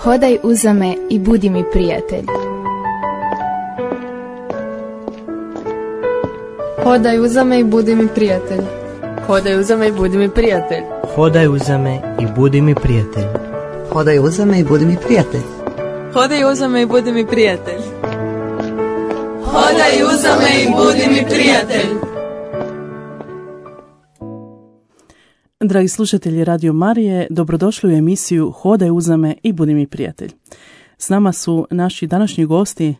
Hodaj uza me i budi mi prijatelj. Hodaj uza me i budi mi prijatelj. Hodaj uza me i budi mi prijatelj. Hodaj uza me i budi mi prijatelj. Hodaj uza me i budi mi prijatelj. Hodaj uza me i budi mi prijatelj. Hodaj uza me i budi mi prijatelj. Dragi slušatelji Radio Marije, dobrodošli u emisiju Hodaj uza me i budi mi prijatelj. S nama su naši današnji gosti,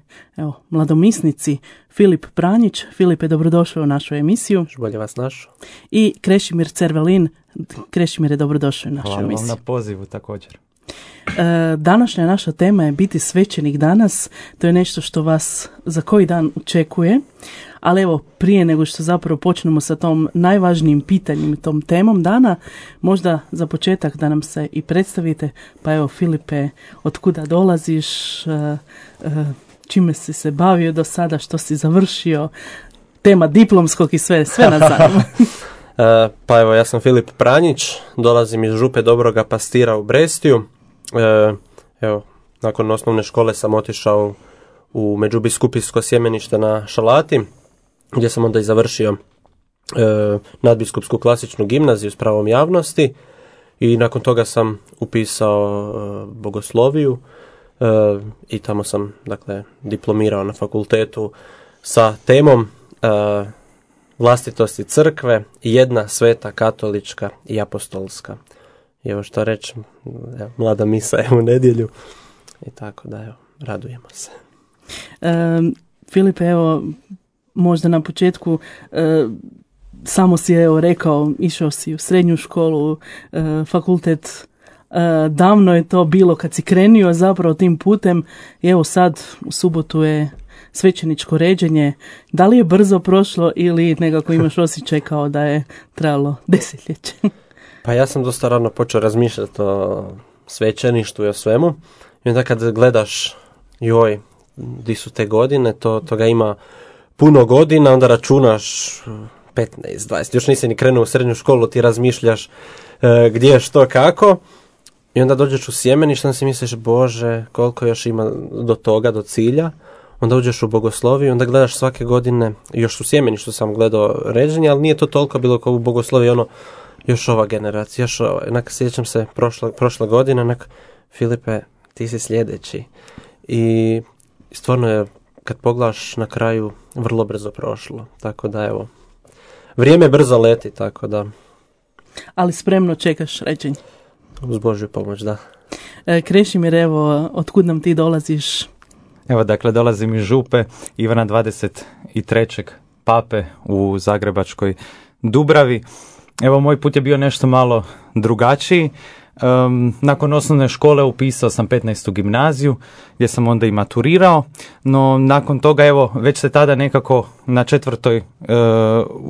mladomisnici Filip Pranjić. Filipe, dobrodošao u našu emisiju. Bolje vas našao. I Krešimir Cervelin. Krešimire, dobrodošao u našu emisiju. Hvala vam na pozivu također. Današnja naša tema je biti svećenik danas. To je nešto što vas za koji dan očekuje. Ali evo, prije nego što zapravo počnemo sa tom najvažnijim pitanjem i tom temom dana, možda za početak da nam se i predstavite. Pa evo, Filipe, od kuda dolaziš, čime si se bavio do sada, što si završio, tema diplomskog i sve nas zanima. Pa evo, ja sam Filip Pranjić, dolazim iz Župe Dobroga Pastira u Brestiju. Evo, nakon osnovne škole sam otišao u Međubiskupijsko sjemenište na Šalati, gdje sam onda i završio nadbiskupsku klasičnu gimnaziju s pravom javnosti i nakon toga sam upisao bogosloviju i tamo sam, dakle, diplomirao na fakultetu sa temom vlastitosti crkve, jedna sveta katolička i apostolska. I evo što reći, mlada misa je u nedjelju i tako da, evo, radujemo se. Filipe, evo, možda na početku samo si rekao, išao si u srednju školu, fakultet, davno je to bilo kad si krenio zapravo tim putem i evo sad u subotu je svećeničko ređenje. Da li je brzo prošlo ili nekako imaš osjećaj kao da je trajalo desetljeće? Pa ja sam dosta rano počeo razmišljati o svećeništvu i o svemu. I onda kad gledaš, joj, di su te godine, toga ima puno godina, onda računaš 15, 20, još nisi ni krenuo u srednju školu, ti razmišljaš gdje, što, kako. I onda dođeš u sjemenište, onda si misliš, Bože, koliko još ima do toga, do cilja. Onda uđeš u bogosloviju, onda gledaš svake godine, još u sjemeništu sam gledao ređenje, ali nije to toliko bilo kao u bogosloviji, još ova generacija, još ova. Sjećam se prošle godine, Filipe, ti si sljedeći. I stvarno je, kad pogledaš na kraju, vrlo brzo prošlo. Tako da, evo, vrijeme brzo leti, tako da. Ali spremno čekaš ređenje. Uz Božju pomoć, da. Krešimir, evo, otkud nam ti dolaziš? Evo, dakle, dolazim iz Župe, Ivana 23. pape u Zagrebačkoj Dubravi. Evo, moj put je bio nešto malo drugačiji. Nakon osnovne škole upisao sam 15. gimnaziju gdje sam onda i maturirao, no nakon toga, evo, već se tada nekako u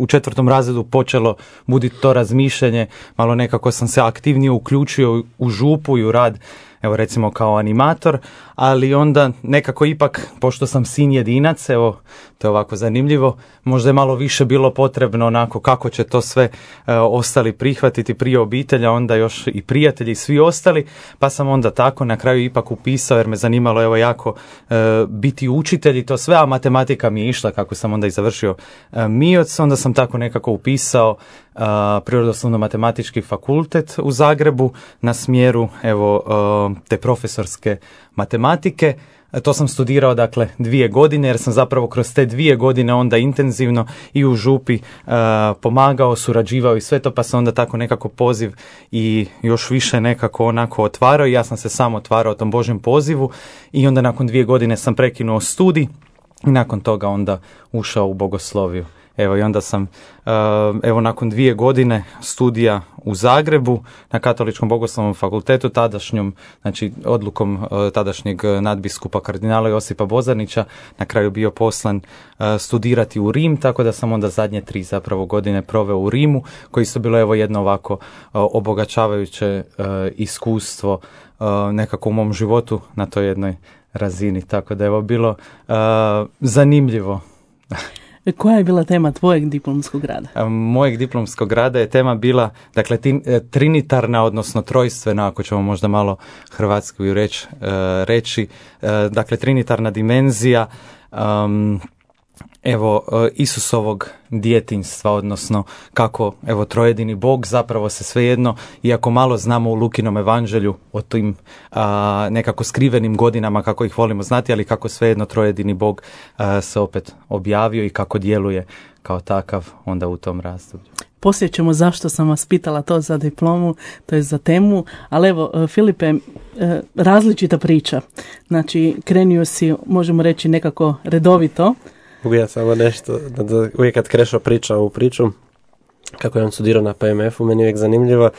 4. razredu počelo buditi to razmišljanje, malo nekako sam se aktivnije uključio u župu i u rad, evo, recimo kao animator, ali onda nekako ipak, pošto sam sin jedinac, evo, to je ovako zanimljivo, možda je malo više bilo potrebno onako kako će to sve ostali prihvatiti, prije obitelja, onda još i prijatelji i svi ostali, pa sam onda tako na kraju ipak upisao, jer me zanimalo, evo, jako biti učitelj i to sve, a matematika mi je išla kako sam onda i završio MIOC, onda sam tako nekako upisao Prirodoslovno-matematički fakultet u Zagrebu na smjeru, evo, te profesorske matematike. To sam studirao, dakle, 2 godine, jer sam zapravo kroz te 2 godine onda intenzivno i u župi pomagao, surađivao i sve to, pa se onda tako nekako poziv i još više nekako onako otvarao i ja sam se sam otvarao tom Božjem pozivu i onda nakon 2 godine sam prekinuo studij i nakon toga onda ušao u bogosloviju. Evo, i onda sam, evo, nakon 2 godine studija u Zagrebu na Katoličkom bogoslovnom fakultetu, tadašnjom, znači odlukom tadašnjeg nadbiskupa kardinala Josipa Bozanića, na kraju bio poslan studirati u Rim, tako da sam onda zadnje 3 zapravo godine proveo u Rimu, koji su bilo, evo, jedno ovako obogaćavajuće iskustvo nekako u mom životu na toj jednoj razini, tako da, evo, bilo zanimljivo. Koja je bila tema tvojeg diplomskog rada? Mojeg diplomskog rada je tema bila, dakle, trinitarna, odnosno trojstvena, ako ćemo možda malo hrvatski reći, dakle, trinitarna dimenzija, Isusovog djetinjstva, odnosno kako trojedini Bog zapravo se svejedno, iako malo znamo u Lukinom evanđelju o tim nekako skrivenim godinama kako ih volimo znati, ali kako svejedno trojedini Bog se opet objavio i kako djeluje kao takav onda u tom razdoblju. Poslije ćemo zašto sam vas pitala to za diplomu, to je za temu, ali evo, Filipe, različita priča. Znači, krenio si, možemo reći, nekako redovito. Mogu ja samo nešto, da uvijek kad Krešo priča ovu priču, kako je on studirao na PMF-u, meni je uvijek zanimljivo.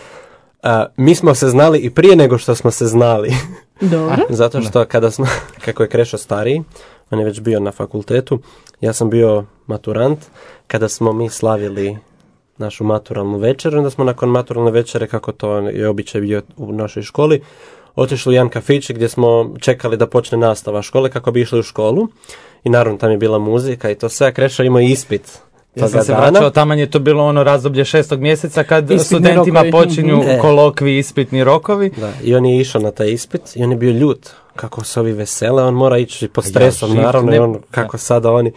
Mi smo se znali i prije nego što smo se znali. Dobro. Zato što kako je Krešo stariji, on je već bio na fakultetu, ja sam bio maturant, kada smo mi slavili našu maturalnu večer, onda smo nakon maturalne večere, kako to je običaj bio u našoj školi, otišli u jedan kafić gdje smo čekali da počne nastava škole kako bi išli u školu. I naravno tam je bila muzika i to sve, Krešo imao ispit. Ja sam se vraćao, taman je to bilo ono razdoblje 6. mjeseca kad ispitni studentima rokovi. Počinju kolokvi, ispitni rokovi. Da, i on je išao na taj ispit i on je bio ljut. Kako se ovi vesele, on mora ići pod stresom, naravno, i on kako sada oni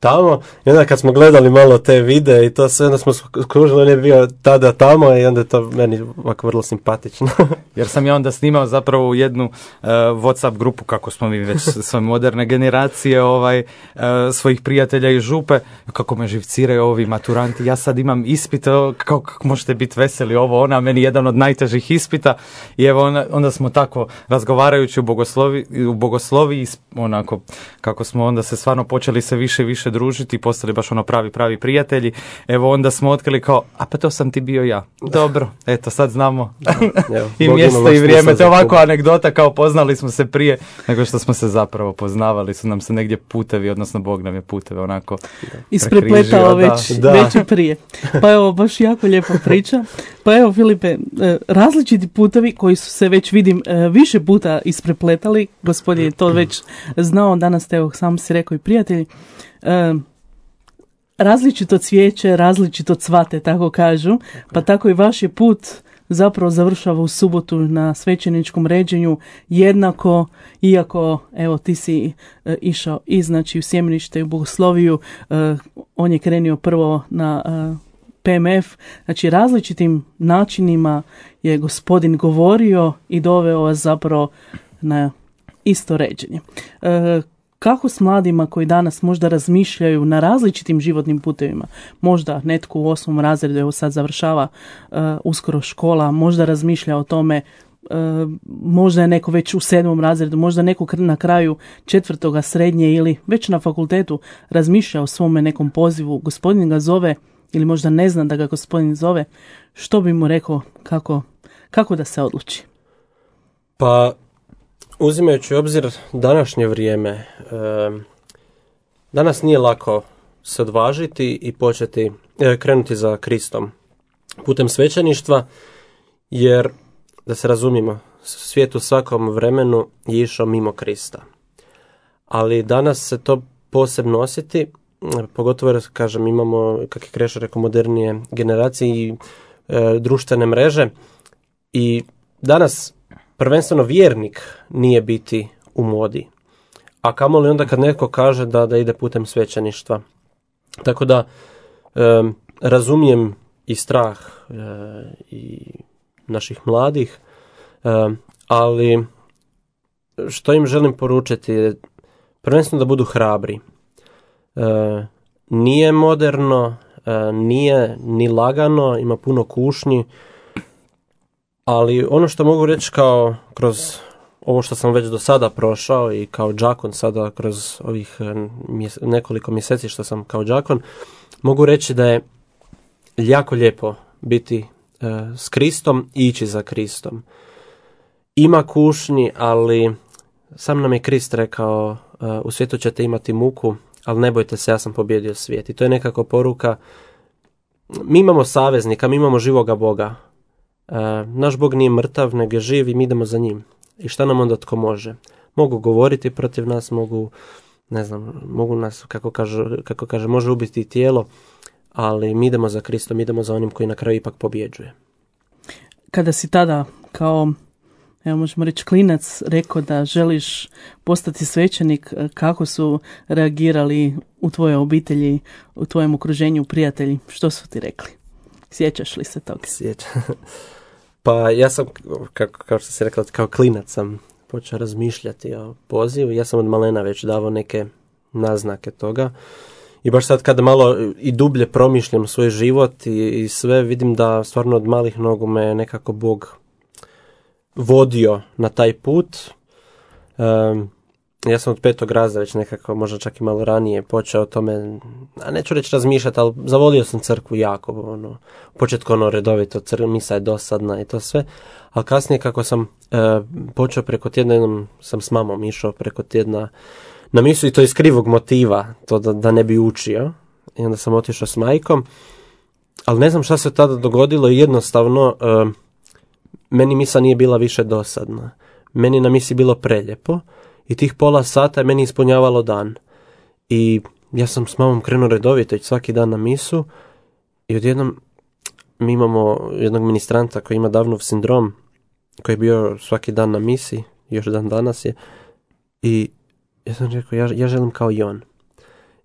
tamo. I onda kad smo gledali malo te videe i to sve, onda smo skužili, on je bio tada tamo i onda je to meni ovako vrlo simpatično. Jer sam ja onda snimao zapravo u jednu WhatsApp grupu, kako smo mi već sve moderne generacije svojih prijatelja iz župe, kako me živciraju ovi maturanti, ja sad imam ispit, kako možete biti veseli ovo, ona, meni jedan od najtežih ispita i evo onda smo tako razgovarajući u bogosloviji, onako, kako smo onda se stvarno počeli se više družiti i postali baš pravi prijatelji. Evo onda smo otkrili kao, a pa to sam ti bio ja. Dobro, eto sad znamo i mjesto i vrijeme. To je ovako anegdota kao poznali smo se prije nego što smo se zapravo poznavali. Su nam se negdje putevi, odnosno Bog nam je puteve onako isprepletao već i prije. Pa evo, baš jako lijepa priča. Pa evo, Filipe, različiti putevi koji su se već vidim više puta isprepletali. Gospodin je to već znao, danas te, evo, sam si rekao, i prijatelji. Različito cvijeće, različito cvate, tako kažu, pa tako i vaš je put zapravo završava u subotu na svećeničkom ređenju jednako, iako evo ti si išao i znači u sjemenište i u bogosloviju, on je krenio prvo na PMF, znači različitim načinima je Gospodin govorio i doveo vas zapravo na isto ređenje. Kako s mladima koji danas možda razmišljaju na različitim životnim putevima, možda netko u 8. razredu, evo sad završava uskoro škola, možda razmišlja o tome, možda je neko već u 7. razredu, možda neko na kraju 4. srednje ili već na fakultetu razmišlja o svome nekom pozivu, Gospodin ga zove ili možda ne zna da ga Gospodin zove, što bi mu rekao kako da se odluči? Pa, uzimajući u obzir današnje vrijeme, danas nije lako se odvažiti i krenuti za Kristom putem svećeništva, jer, da se razumijemo, svijet u svakom vremenu je išao mimo Krista. Ali danas se to posebno osjeti, pogotovo jer, kažem, imamo, kako je Krešo rekao, modernije generacije i društvene mreže i danas prvenstveno vjernik nije biti u modi. A kamoli onda kad netko kaže da ide putem svećeništva. Tako da razumijem i strah i naših mladih, ali što im želim poručiti je prvenstveno da budu hrabri. Nije moderno, nije ni lagano, ima puno kušnji, ali ono što mogu reći kao kroz ovo što sam već do sada prošao i kao đakon sada kroz ovih nekoliko mjeseci što sam kao đakon, mogu reći da je jako lijepo biti s Kristom i ići za Kristom. Ima kušnji, ali sam nam je Krist rekao, u svijetu ćete imati muku, ali ne bojte se, ja sam pobijedio svijet. I to je nekako poruka, mi imamo saveznika, mi imamo živoga Boga. Naš Bog nije mrtav, nego je živ i mi idemo za njim. I šta nam onda tko može? Mogu govoriti protiv nas, mogu ne znam, mogu nas, kako kaže, može ubiti tijelo, ali mi idemo za Kristom, idemo za onim koji na kraju ipak pobjeđuje. Kada si tada kao, evo možemo reći, klinac rekao da želiš postati svećenik, kako su reagirali u tvojoj obitelji, u tvojem okruženju, prijatelji? Što su ti rekli? Sjećaš li se toga? Sjećam. Pa ja sam, kao što si rekla, kao klinac sam počeo razmišljati o pozivu. Ja sam od malena već davao neke naznake toga. I baš sad kada malo i dublje promišljam svoj život i sve, vidim da stvarno od malih nogu me nekako Bog vodio na taj put. Ja sam od 5. razreda već nekako, možda čak i malo ranije, počeo o tome, a neću reći razmišljati, ali zavolio sam crkvu jako. U početku redovito, misa je dosadna i to sve. Ali kasnije kako sam počeo preko tjedna, jednom sam s mamom išao preko tjedna na misu i to iz krivog motiva, to da ne bi učio. I onda sam otišao s majkom. Ali ne znam šta se tada dogodilo i jednostavno meni misa nije bila više dosadna. Meni na misi bilo preljepo i tih pola sata je meni ispunjavalo dan. I ja sam s mamom krenuo redovito svaki dan na misu i odjednom mi imamo jednog ministranta koji ima Downov sindrom, koji je bio svaki dan na misi, još dan danas je, i ja sam rekao, ja želim kao i on.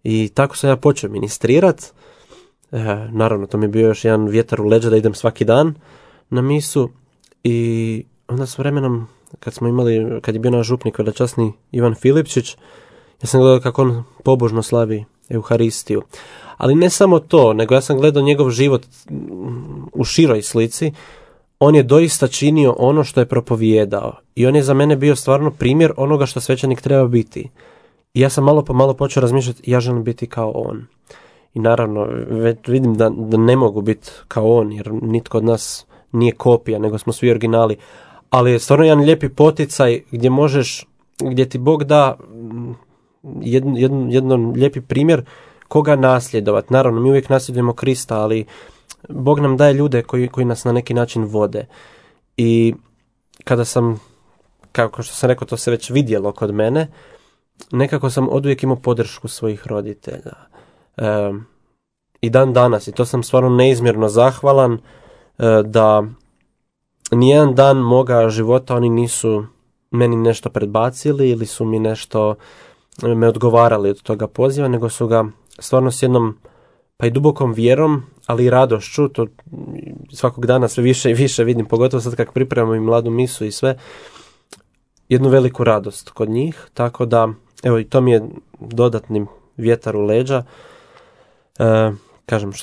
I tako sam ja počeo ministrirat. Naravno, to mi je bio još jedan vjetar u leđa da idem svaki dan na misu. I onda s vremenom, kad je bio naš župnik velečasni Ivan Filipčić, ja sam gledao kako on pobožno slavi Euharistiju. Ali ne samo to, nego ja sam gledao njegov život u široj slici. On je doista činio ono što je propovijedao. I on je za mene bio stvarno primjer onoga što svećenik treba biti. I ja sam malo po malo počeo razmišljati, ja želim biti kao on. I naravno, već vidim da ne mogu biti kao on, jer nitko od nas nije kopija, nego smo svi originali. Ali je stvarno jedan lijepi poticaj gdje ti Bog da jedan lijepi primjer koga nasljedovati. Naravno, mi uvijek nasljedujemo Krista, ali Bog nam daje ljude koji nas na neki način vode. I kada sam, kao što sam rekao, to se već vidjelo kod mene, nekako sam oduvijek imao podršku svojih roditelja. I dan danas, i to sam stvarno neizmjerno zahvalan, da nijedan dan moga života oni nisu meni nešto predbacili ili su mi nešto me odgovarali od toga poziva, nego su ga stvarno s jednom pa i dubokom vjerom, ali i radošću, to svakog dana sve više i više vidim, pogotovo sad kako pripremamo i mladu misu i sve, jednu veliku radost kod njih, tako da, evo, i to mi je dodatni vjetar u leđa, kažem,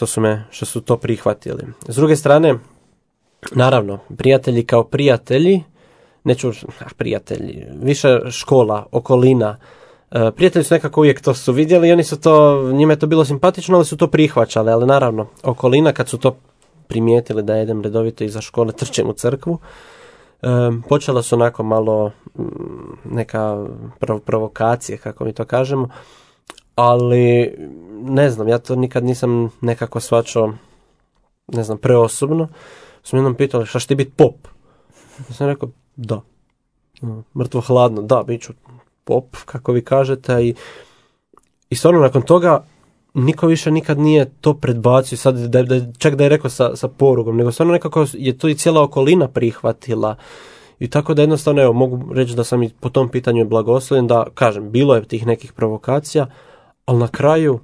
što su to prihvatili. S druge strane, naravno, prijatelji kao prijatelji, prijatelji, više škola, okolina, prijatelji su nekako uvijek to su vidjeli i oni su to, njima je to bilo simpatično, ali su to prihvaćali, ali naravno, okolina kad su to primijetili da jedem redovito iza škole, trčem u crkvu, počela su onako malo neka provokacije, kako mi to kažemo, ali ne znam, ja to nikad nisam nekako shvaćao, ne znam, preosobno. Su mi jednom pitali, šta će ti biti pop? Ja sam rekao, da. Mrtvo hladno, da, bit ću pop, kako vi kažete. I stvarno nakon toga niko više nikad nije to predbacio, sad čak da je rekao sa porugom, nego stvarno nekako je to i cijela okolina prihvatila. I tako da jednostavno, evo, mogu reći da sam i po tom pitanju blagoslovljen, da, kažem, bilo je tih nekih provokacija, ali na kraju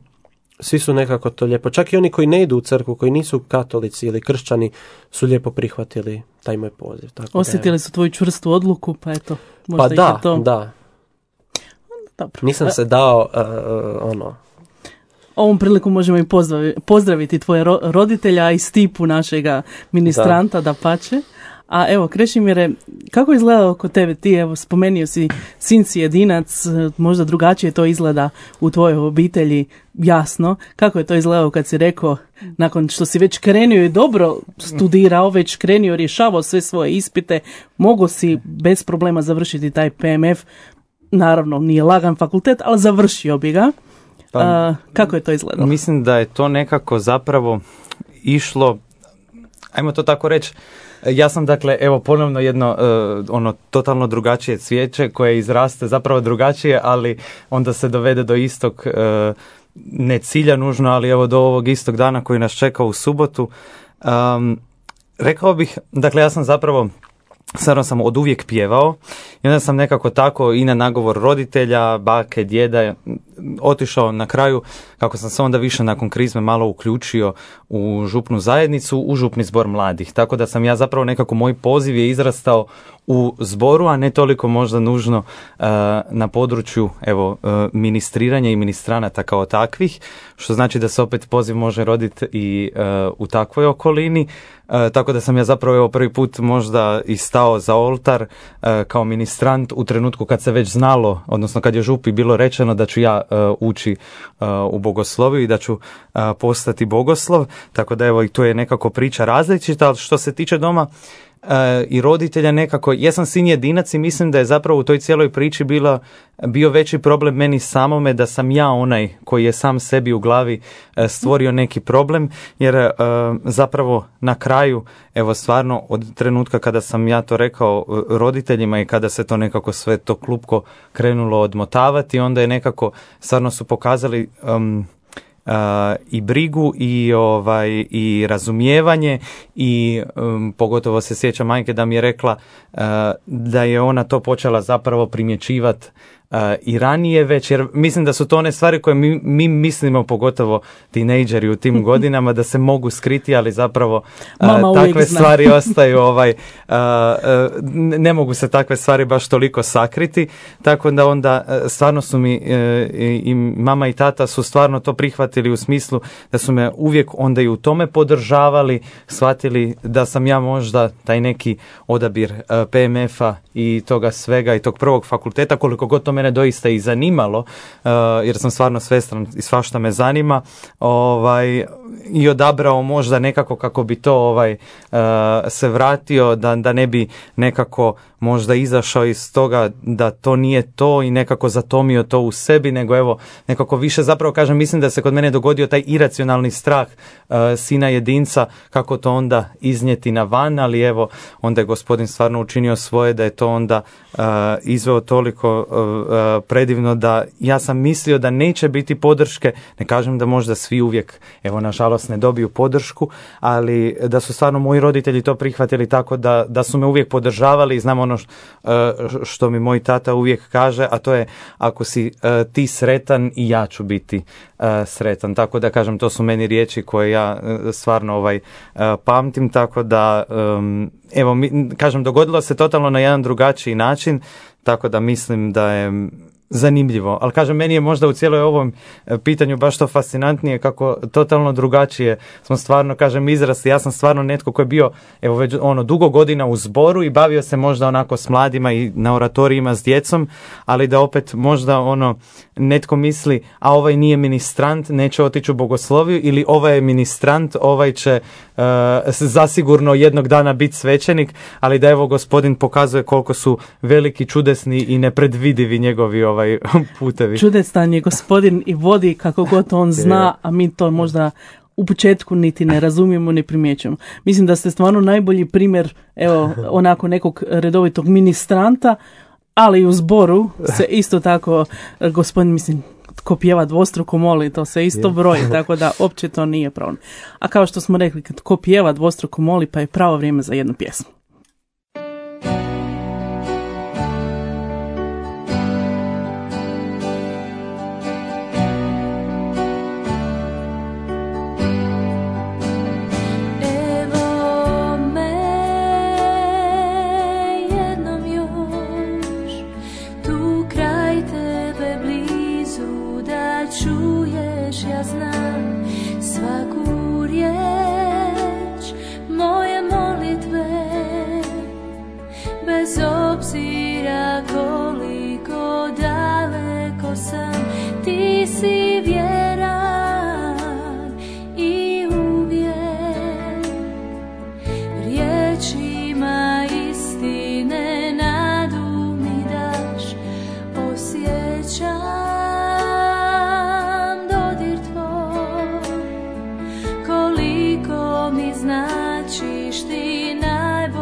svi su nekako to lijepo. Čak i oni koji ne idu u crkvu, koji nisu katolici ili kršćani, su lijepo prihvatili taj moj poziv. Tako osjetili su tvoju čvrstu odluku, pa eto, možda pa ih je to. Da. Dobro. Nisam se dao, Ovom priliku možemo i pozdraviti tvoje roditelja i Stipu, našega ministranta, da pače. A evo, Krešimire, kako izgleda kod tebe? Ti, evo, spomenio si, sin si jedinac, možda drugačije to izgleda u tvojoj obitelji, jasno. Kako je to izgledalo kad si rekao, nakon što si već krenio i dobro studirao, već krenio, rješavao sve svoje ispite, mogo si bez problema završiti taj PMF, naravno nije lagan fakultet, ali završio bi ga. Kako je to izgledalo? Mislim da je to nekako zapravo išlo, ajmo to tako reći, Ja sam dakle, evo ponovno jedno ono totalno drugačije cvijeće koje izraste zapravo drugačije, ali onda se dovede do istog, ne cilja nužno, ali evo do ovog istog dana koji nas čeka u subotu. Rekao bih, dakle ja sam zapravo stvarno sam od uvijek pjevao i onda sam nekako tako i na nagovor roditelja, bake, djeda otišao na kraju, kako sam se onda više nakon krizme malo uključio u župnu zajednicu, u župni zbor mladih. Tako da sam ja zapravo nekako, moj poziv je izrastao u zboru, a ne toliko možda nužno na području ministriranja i ministranata kao takvih, što znači da se opet poziv može roditi i u takvoj okolini. Tako da sam ja zapravo prvi put možda i stao za oltar kao ministrant u trenutku kad se već znalo, odnosno kad je župi bilo rečeno da ću ja ući u bogosloviju i da ću postati bogoslov. Tako da evo i tu je nekako priča različita, ali što se tiče doma i roditelja nekako, jesam sin jedinac i mislim da je zapravo u toj cijeloj priči bio veći problem meni samome, da sam ja onaj koji je sam sebi u glavi stvorio neki problem, jer zapravo na kraju, evo stvarno od trenutka kada sam ja to rekao roditeljima i kada se to nekako sve to klupko krenulo odmotavati, onda je nekako stvarno su pokazali i brigu i razumijevanje i pogotovo se sjećam majke da mi je rekla da je ona to počela zapravo primjećivati i ranije već, jer mislim da su to one stvari koje mi mislimo, pogotovo tinejdžeri u tim godinama, da se mogu skriti, ali zapravo takve stvari ostaju, ne mogu se takve stvari baš toliko sakriti, tako da onda stvarno su mi i mama i tata su stvarno to prihvatili u smislu da su me uvijek onda i u tome podržavali, shvatili da sam ja možda taj neki odabir PMF-a i toga svega i tog prvog fakulteta, koliko god to mene doista i zanimalo, jer sam stvarno svestran i svašta me zanima, i odabrao možda nekako kako bi to se vratio, da ne bi nekako možda izašao iz toga da to nije to i nekako zatomio to u sebi, nego evo nekako više zapravo kažem, mislim da se kod mene dogodio taj iracionalni strah sina jedinca, kako to onda iznijeti na van, ali evo onda je gospodin stvarno učinio svoje da je to onda izveo toliko predivno da ja sam mislio da neće biti podrške, ne kažem da možda svi uvijek, evo nažalost ne dobiju podršku, ali da su stvarno moji roditelji to prihvatili tako da su me uvijek podržavali i znam ono što mi moj tata uvijek kaže, a to je ako si ti sretan i ja ću biti sretan. Tako da kažem, to su meni riječi koje ja stvarno pamtim, tako da evo kažem, dogodilo se totalno na jedan drugačiji način, tako da mislim da je zanimljivo, ali kažem, meni je možda u cijeloj ovom pitanju baš to fascinantnije kako totalno drugačije smo stvarno, kažem, izrasli. Ja sam stvarno netko koji je bio evo već dugo godina u zboru i bavio se možda onako s mladima i na oratorijima s djecom, ali da opet možda netko misli, a ovaj nije ministrant, neće otići u bogosloviju, ili ovaj je ministrant, ovaj će zasigurno jednog dana biti svećenik, ali da evo gospodin pokazuje koliko su veliki, čudesni i nepredvidivi njegovi putevi. Čudestan je gospodin i vodi kako god on zna, a mi to možda u početku niti ne razumijemo, ne primjećujemo. Mislim da ste stvarno najbolji primjer, evo, onako nekog redovitog ministranta, ali u zboru se isto tako gospodin, mislim, ko pjeva dvostruko moli, to se isto broji, tako da uopće to nije problem. A kao što smo rekli, kad ko pjeva dvostruko moli, pa je pravo vrijeme za jednu pjesmu. Značiš ti najbolje.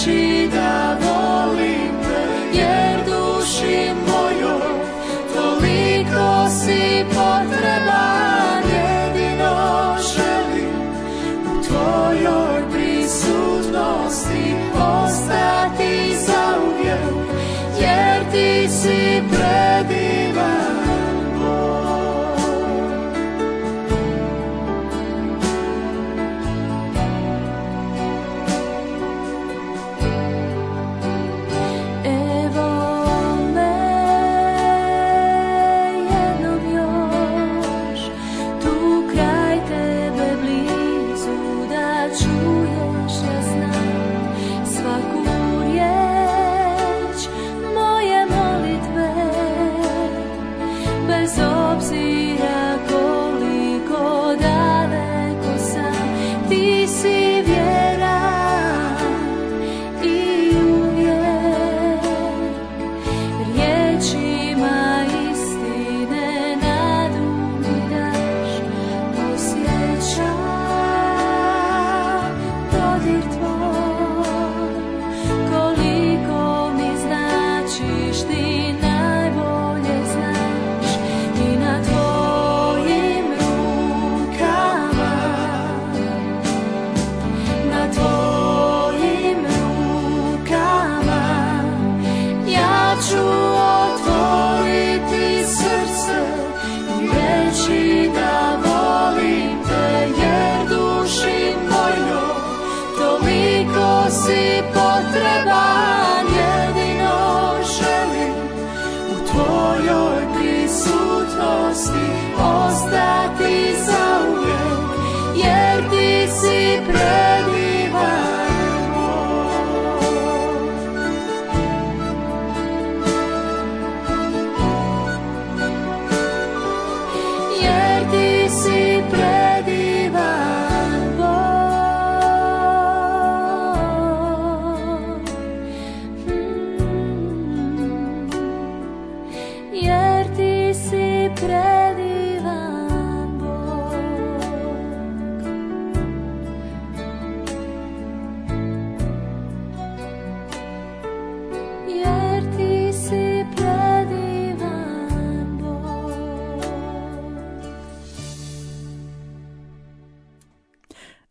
riječi da volim te, jer duši mojoj toliko si potreban, jedino želim u tvojoj prisutnosti ostati zauvijek, jer ti si predivan.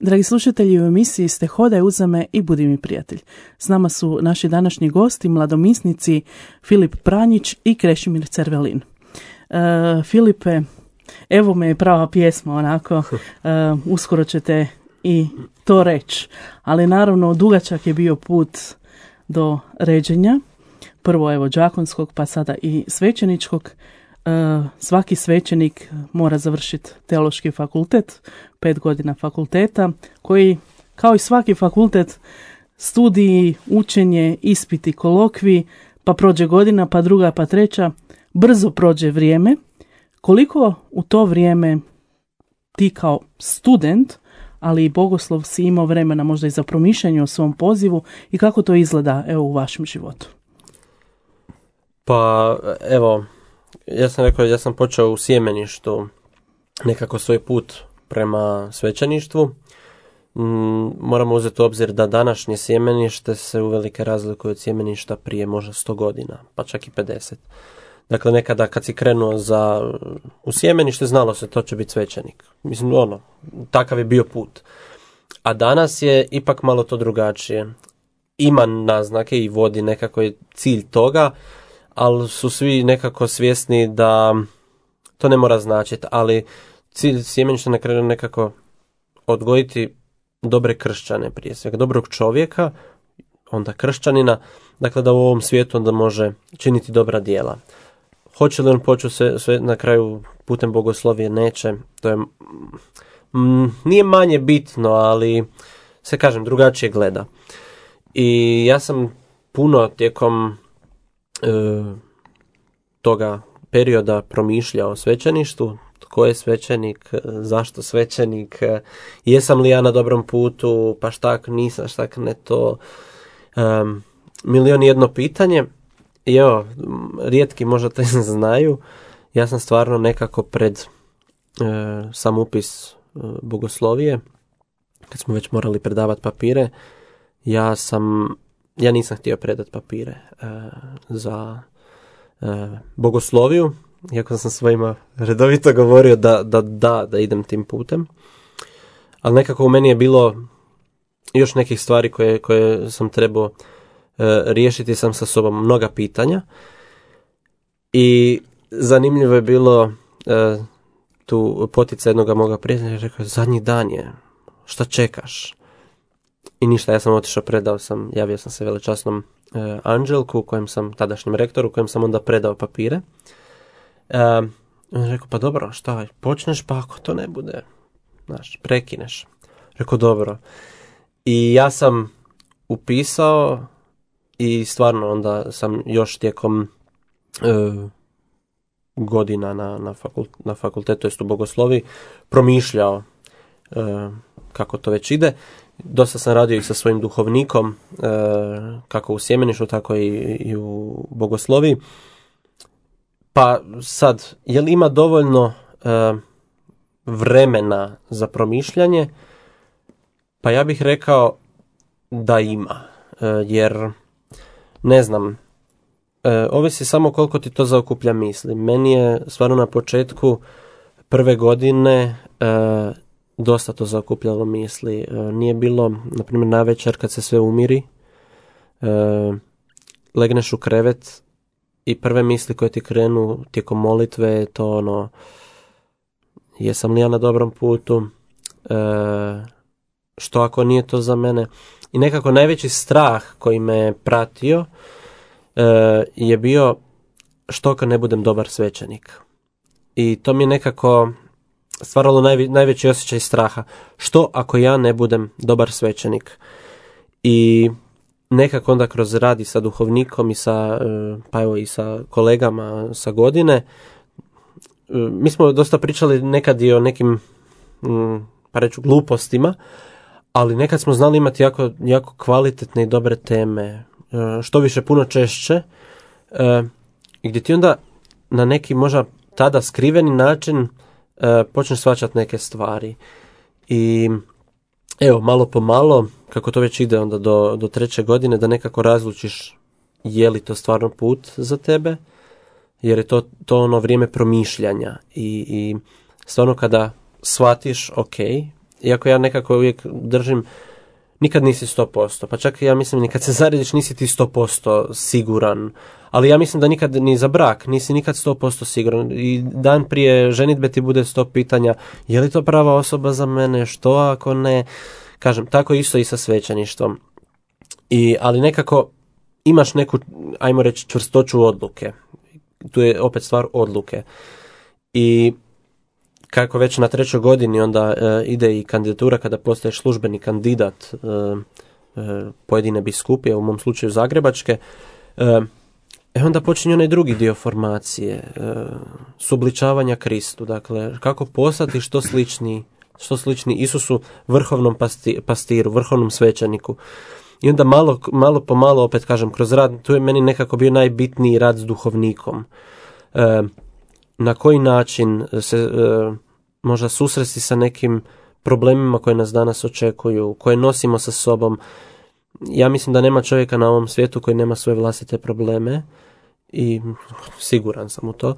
Dragi slušatelji, u emisiji ste Hodaj uza me i budi mi prijatelj. S nama su naši današnji gosti, mladomisnici Filip Pranjić i Krešimir Cervelin. Filipe, evo me je prava pjesma, onako, uskoro ćete i to reći. Ali naravno, dugačak je bio put do ređenja. Prvo evo đakonskog, pa sada i svećeničkog. Svaki svećenik mora završiti teološki fakultet, 5 godina fakulteta, koji, kao i svaki fakultet, studiji, učenje, ispiti, kolokvi, pa prođe godina, pa druga, pa treća, brzo prođe vrijeme. Koliko u to vrijeme ti kao student, ali i bogoslov, si imao vremena možda i za promišljanje o svom pozivu i kako to izgleda evo u vašem životu? Pa evo, ja sam rekao, ja sam počeo u sjemeništu nekako svoj put prema svećeništvu. Moramo uzeti u obzir da današnje sjemenište se uvelike razlikuje od sjemeništa prije možda 100 godina, pa čak i 50. Dakle, nekada kad si krenuo u sjemenište, znalo se to će biti svećenik. Mislim, takav je bio put. A danas je ipak malo to drugačije. Ima naznake i vodi nekako je cilj toga, ali su svi nekako svjesni da to ne mora značiti, ali cilj sjemeništa na kraju nekako odgojiti dobre kršćane prije svega, dobrog čovjeka, onda kršćanina, dakle da u ovom svijetu onda može činiti dobra djela. Hoće li on početi sve na kraju putem bogoslovije? Neće. To je nije manje bitno, ali se kažem drugačije gleda. I ja sam puno tijekom toga perioda promišljao o svećeništvu, tko je svećenik, zašto svećenik, jesam li ja na dobrom putu, pa štak nisam, štak ne to, milion i jedno pitanje. I evo, rijetki možda to znaju, ja sam stvarno nekako pred sam upis bogoslovije, kad smo već morali predavati papire, ja sam ja nisam htio predati papire za bogosloviju, iako sam svojima redovito govorio da idem tim putem. Ali nekako u meni je bilo još nekih stvari koje sam trebao riješiti sam sa sobom, mnoga pitanja. I zanimljivo je bilo tu potica jednoga moga prijatelja, rekao, zadnji dan je, šta čekaš? I ništa, ja sam otišao, javio sam se velečasnom Anđelku, tadašnjem rektoru, kojem sam onda predao papire. On je rekao, pa dobro, šta, počneš, pa ako to ne bude, prekineš. Rekao, dobro. I ja sam upisao i stvarno onda sam još tijekom godina na fakultetu, to jest u bogosloviji, promišljao kako to već ide. Dosta sam radio i sa svojim duhovnikom, kako u sjemeništvu, tako i u bogosloviji. Pa sad, je li ima dovoljno vremena za promišljanje? Pa ja bih rekao da ima, jer ne znam, ovisi samo koliko ti to zaokuplja misli. Meni je stvarno na početku prve godine dosta to zaokupljalo misli. Nije bilo, na primjer, navečer kad se sve umiri, legneš u krevet i prve misli koje ti krenu tijekom molitve je to jesam li ja na dobrom putu, što ako nije to za mene. I nekako najveći strah koji me pratio je bio što ako ne budem dobar svećenik. I to mi je nekako stvaralo najveći osjećaj straha. Što ako ja ne budem dobar svećenik? I nekako onda kroz rad i sa duhovnikom i i sa kolegama sa godine, mi smo dosta pričali nekad i o nekim pa reću glupostima, ali nekad smo znali imati jako kvalitetne i dobre teme, što više puno češće, gdje ti onda na neki možda tada skriveni način počneš shvaćati neke stvari. I evo, malo po malo, kako to već ide onda do treće godine, da nekako razlučiš je li to stvarno put za tebe, jer je to ono vrijeme promišljanja. I stvarno kada shvatiš, ok, iako ja nekako uvijek držim, nikad nisi 100%, pa čak ja mislim ni kad se zarediš nisi ti 100% siguran, ali ja mislim da nikad ni za brak nisi nikad 100% siguran. I dan prije ženitbe ti bude 100 pitanja, je li to prava osoba za mene, što ako ne, kažem, tako isto i sa svećeništvom. Ali nekako imaš neku, ajmo reći, čvrstoću odluke. Tu je opet stvar odluke. I kako već na trećoj godini onda ide i kandidatura kada postaješ službeni kandidat pojedine biskupije, u mom slučaju zagrebačke, onda počinje onaj drugi dio formacije, subličavanja Kristu, dakle kako postati što slični Isusu, vrhovnom pastiru, vrhovnom svećeniku. I onda malo po malo, opet kažem, kroz rad, tu je meni nekako bio najbitniji rad s duhovnikom. Na koji način se možda susresti sa nekim problemima koje nas danas očekuju, koje nosimo sa sobom. Ja mislim da nema čovjeka na ovom svijetu koji nema svoje vlastite probleme i siguran sam u to.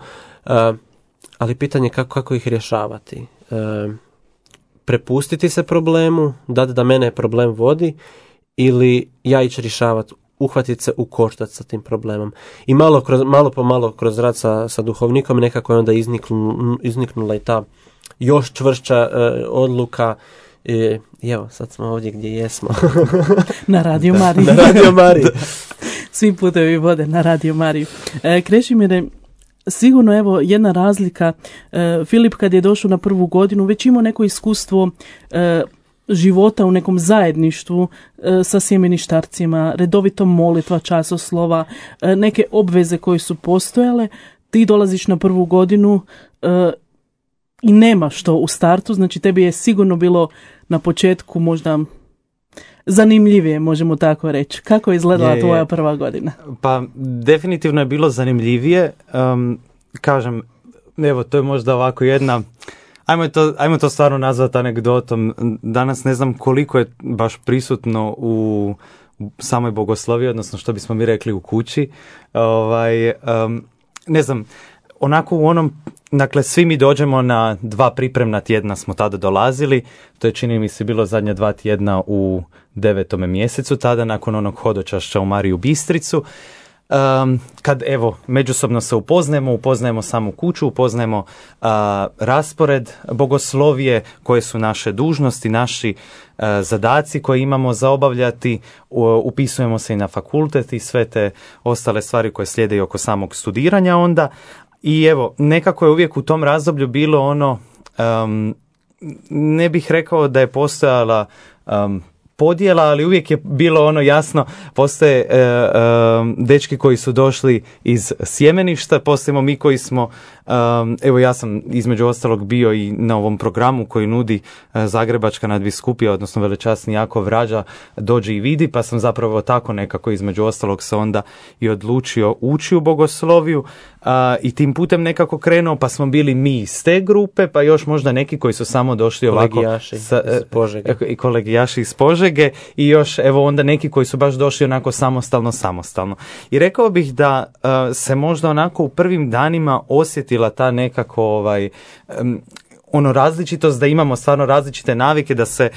Ali pitanje je kako ih rješavati. Prepustiti se problemu, dati da mene problem vodi, ili ja ići rješavati, uhvatiti se u koštac sa tim problemom. I malo po malo kroz rad sa duhovnikom nekako je onda izniknula i ta još čvršća odluka. I evo, sad smo ovdje gdje jesmo. Na Radio Mariji. Na Radio Mariji. Svi putevi vode na Radio Mariju. Krešimire, sigurno evo jedna razlika. Filip kad je došao na prvu godinu već imao neko iskustvo života u nekom zajedništvu sa sjemeništarcima, redovito molitva, časoslova, neke obveze koje su postojale. Ti dolaziš na prvu godinu i nemaš to u startu, znači tebi je sigurno bilo na početku možda zanimljivije, možemo tako reći. Kako je izgledala tvoja prva godina? Pa definitivno je bilo zanimljivije. Kažem, evo, to je možda ovako jedna, ajmo to stvarno nazvati anegdotom. Danas ne znam koliko je baš prisutno u samoj bogosloviji, odnosno što bismo mi rekli u kući. Ne znam, onako u onom, dakle svi mi dođemo na 2 pripremna tjedna smo tada dolazili, to je čini mi se bilo zadnja 2 tjedna u 9. mjesecu, tada nakon onog hodočašća u Mariju Bistricu. Kad evo međusobno se upoznajemo samu kuću, upoznajemo raspored bogoslovije, koje su naše dužnosti, naši zadaci koje imamo za obavljati, upisujemo se i na fakultet i sve te ostale stvari koje slijede i oko samog studiranja onda. I evo, nekako je uvijek u tom razdoblju bilo ono, ne bih rekao da je postojala podjela, ali uvijek je bilo ono jasno, postoje dečki koji su došli iz sjemeništa, postojimo mi koji smo, evo ja sam između ostalog bio i na ovom programu koji nudi Zagrebačka nadbiskupija, odnosno velečasni Jakov Rađa, dođi i vidi, pa sam zapravo tako nekako između ostalog se onda i odlučio ući u bogosloviju i tim putem nekako krenuo, pa smo bili mi iz te grupe, pa još možda neki koji su samo došli ovako i kolegijaši iz Požege i još evo onda neki koji su baš došli onako samostalno. I rekao bih da se možda onako u prvim danima osjetila ta nekako različitost, da imamo stvarno različite navike, da se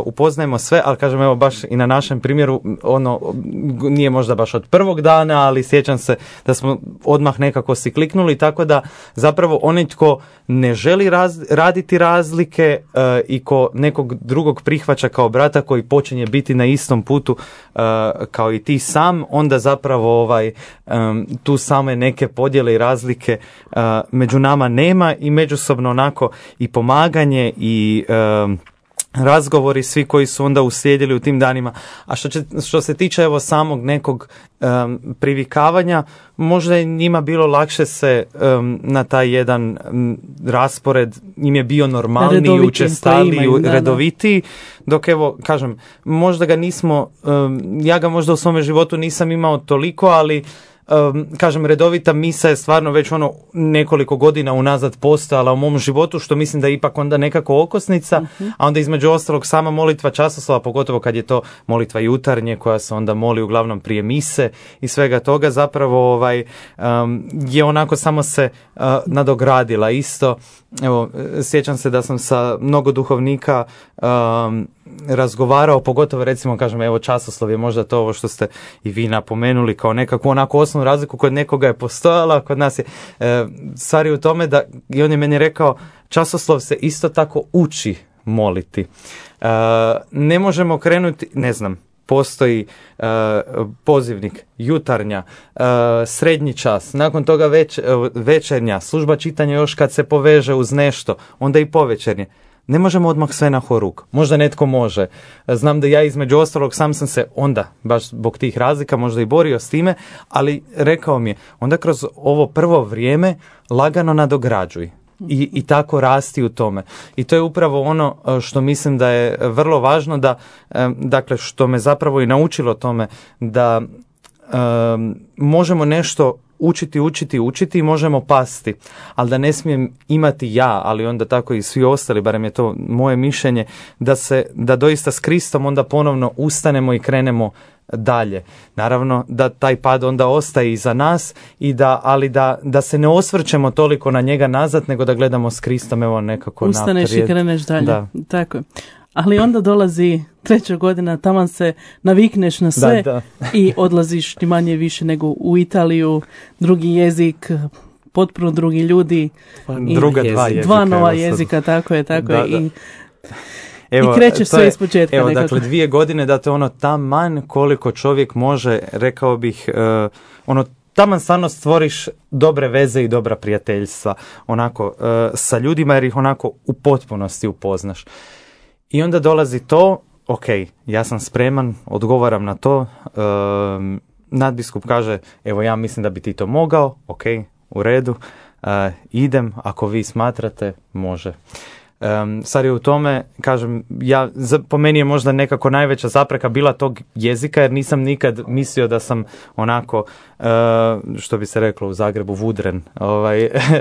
upoznajemo sve, ali kažem evo baš i na našem primjeru nije možda baš od prvog dana, ali sjećam se da smo odmah nekako si kliknuli, tako da zapravo onaj tko ne želi raditi razlike i ko nekog drugog prihvaća kao brata koji počinje biti na istom putu kao i ti sam, onda zapravo tu same neke podjele i razlike među nama nema i međusobno onako i pomaganje i razgovori svi koji su onda uslijedili u tim danima. A što se tiče evo samog nekog privikavanja, možda je njima bilo lakše se na taj jedan raspored, im je bio normalniji, učestaliji, redovitiji, dok evo, kažem, možda ga nismo, ja ga možda u svome životu nisam imao toliko, ali kažem, redovita misa je stvarno već nekoliko godina unazad postojala u mom životu, što mislim da je ipak onda nekako okosnica, a onda između ostalog sama molitva časoslova, pogotovo kad je to molitva jutarnje koja se onda moli uglavnom prije mise i svega toga, zapravo je onako samo se nadogradila. Isto, evo, sjećam se da sam sa mnogo duhovnika razgovarao, pogotovo recimo, kažem, evo časoslov je možda to ovo što ste i vi napomenuli kao nekakvu onako osnovnu razliku, kod nekoga je postojala, kod nas je stvari u tome da, i on je meni rekao, časoslov se isto tako uči moliti. Ne možemo krenuti, ne znam, postoji pozivnik, jutarnja, srednji čas, nakon toga večernja, služba čitanja još kad se poveže uz nešto, onda i povečernje. Ne možemo odmah sve na horuk. Možda netko može. Znam da ja između ostalog sam se onda, baš zbog tih razlika, možda i borio s time, ali rekao mi je, onda kroz ovo prvo vrijeme lagano nadograđuj. I tako rasti u tome. I to je upravo ono što mislim da je vrlo važno, da, dakle, što me zapravo i naučilo tome, da možemo nešto učiti i možemo pasti, ali da ne smijem imati ja, ali onda tako i svi ostali, barem je to moje mišljenje, da doista s Kristom onda ponovno ustanemo i krenemo dalje. Naravno da taj pad onda ostaje iza nas, ali da se ne osvrćemo toliko na njega nazad, nego da gledamo s Kristom evo nekako naprijed. Ustaneš i kreneš dalje. Da. Tako je. Ali onda dolazi 3. godina, taman se navikneš na sve i odlaziš ti manje više nego u Italiju, drugi jezik, potpuno drugi ljudi. Dva nova jezika, tako je. Evo, i krećeš sve iz početka. Evo, dakle, 2 godine da te taman koliko čovjek može, rekao bih, taman stvarno stvoriš dobre veze i dobra prijateljstva sa ljudima, jer ih u potpunosti upoznaš. I onda dolazi to, ok, ja sam spreman, odgovaram na to, nadbiskup kaže, evo ja mislim da bi ti to mogao, ok, u redu, idem, ako vi smatrate, može. Sad je u tome, kažem, po meni je možda nekako najveća zapreka bila tog jezika, jer nisam nikad mislio da sam što bi se reklo u Zagrebu, vudren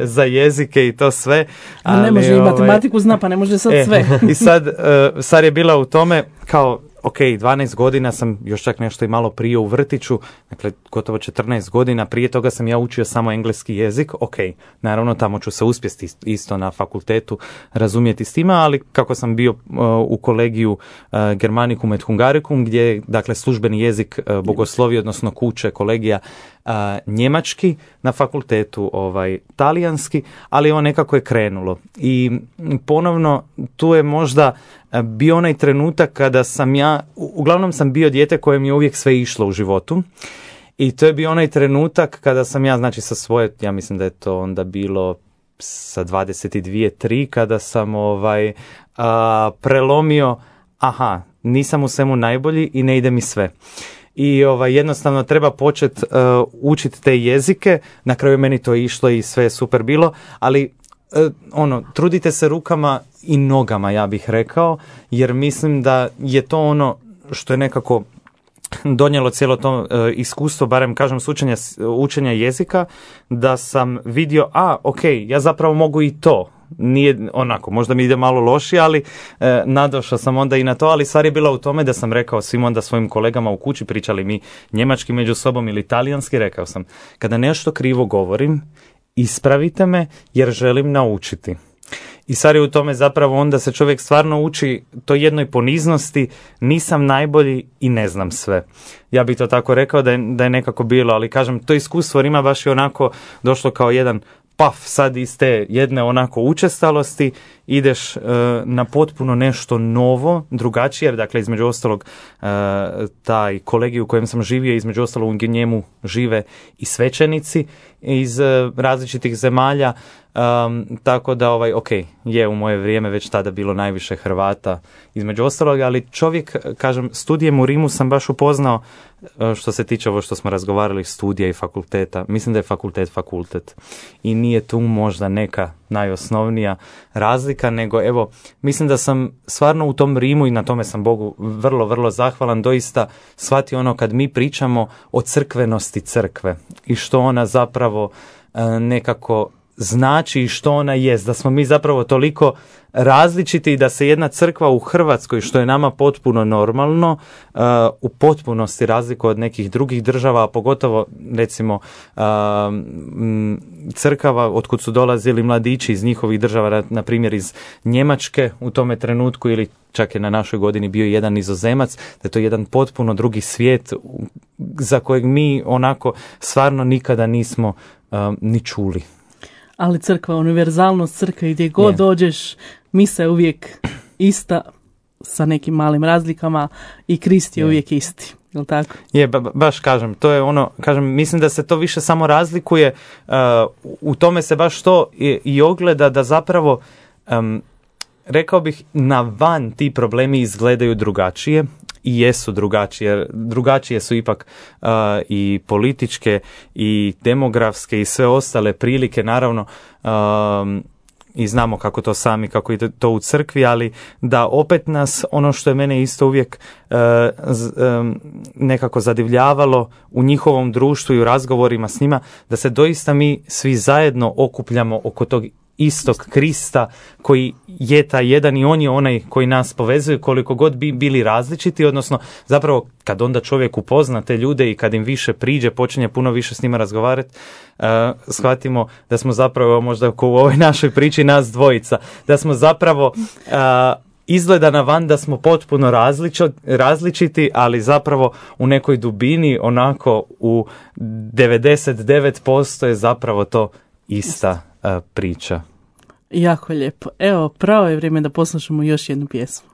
za jezike i to sve. Ali ne može i matematiku zna, pa ne može sad sve. I sad je bila u tome kao, ok, 12 godina sam još čak nešto i malo prije u vrtiću, dakle gotovo 14 godina, prije toga sam ja učio samo engleski jezik, ok, naravno tamo ću se uspjeti isto na fakultetu razumjeti s tima, ali kako sam bio u kolegiju Germanicum et Hungaricum, gdje je dakle službeni jezik bogoslovije, odnosno kuće, kolegija njemački, na fakultetu talijanski, ali ovo nekako je krenulo. I ponovno tu je možda bio onaj trenutak kada sam ja, uglavnom sam bio dijete kojem je uvijek sve išlo u životu, i to je bio onaj trenutak kada sam ja, znači sa svoje, ja mislim da je to onda bilo sa 22-3, kada sam prelomio, aha, nisam u svemu najbolji i ne ide mi sve. I jednostavno treba početi učiti te jezike, na kraju meni to išlo i sve je super bilo, ali trudite se rukama i nogama, ja bih rekao, jer mislim da je to ono što je nekako donijelo cijelo to iskustvo, barem kažem s učenja jezika, da sam vidio, ok, ja zapravo mogu i to. Nije onako, možda mi ide malo lošije, ali nadošao sam onda i na to, ali stvar je bila u tome da sam rekao svim onda svojim kolegama u kući, pričali mi njemački među sobom ili talijanski, rekao sam, kada nešto krivo govorim, ispravite me jer želim naučiti. I stvar je u tome zapravo onda se čovjek stvarno uči to jednoj poniznosti, nisam najbolji i ne znam sve. Ja bih to tako rekao da je nekako bilo, ali kažem, to iskustvo Rima baš je onako došlo kao jedan sad iz te jedne onako učestalosti ideš na potpuno nešto novo, drugačije, jer dakle između ostalog taj kolegij u kojem sam živio, između ostalog u njemu žive i svećenici iz različitih zemalja, tako da je u moje vrijeme već tada bilo najviše Hrvata između ostalog, ali čovjek, kažem, studijem u Rimu sam baš upoznao, što se tiče ovo što smo razgovarali, studija i fakulteta, mislim da je fakultet i nije tu možda neka najosnovnija razlika, nego evo, mislim da sam stvarno u tom Rimu, i na tome sam Bogu vrlo, vrlo zahvalan, doista shvatio ono kad mi pričamo o crkvenosti crkve i što ona zapravo nekako znači i što ona jest, da smo mi zapravo toliko različiti i da se jedna crkva u Hrvatskoj, što je nama potpuno normalno, u potpunosti razlikuje od nekih drugih država, a pogotovo recimo crkava otkud su dolazili mladići iz njihovih država, na primjer iz Njemačke u tome trenutku, ili čak je na našoj godini bio jedan Nizozemac, da je to jedan potpuno drugi svijet za kojeg mi onako stvarno nikada nismo ni čuli. Ali crkva, univerzalnost crkve, gdje god dođeš, misa je uvijek ista sa nekim malim razlikama i Krist je uvijek isti. Jel tako? Je, baš kažem, to je ono, kažem, mislim da se to više samo razlikuje, u tome se baš to i ogleda da zapravo, rekao bih, na van ti problemi izgledaju drugačije i jesu drugačije, jer drugačije su ipak i političke i demografske i sve ostale prilike, naravno, i znamo kako to sami, kako je to u crkvi, ali da opet nas, ono što je mene isto uvijek nekako zadivljavalo u njihovom društvu i u razgovorima s njima, da se doista mi svi zajedno okupljamo oko tog istog Krista koji je taj jedan i on je onaj koji nas povezuje, koliko god bi bili različiti, odnosno zapravo kad onda čovjek upozna te ljude i kad im više priđe, počinje puno više s njima razgovarati, shvatimo da smo zapravo, možda kao u ovoj našoj priči nas dvojica, da smo zapravo izgleda na van da smo potpuno različiti, ali zapravo u nekoj dubini, onako u 99% je zapravo to ista priča. Jako lijepo. Evo, pravo je vrijeme da poslušamo još jednu pjesmu.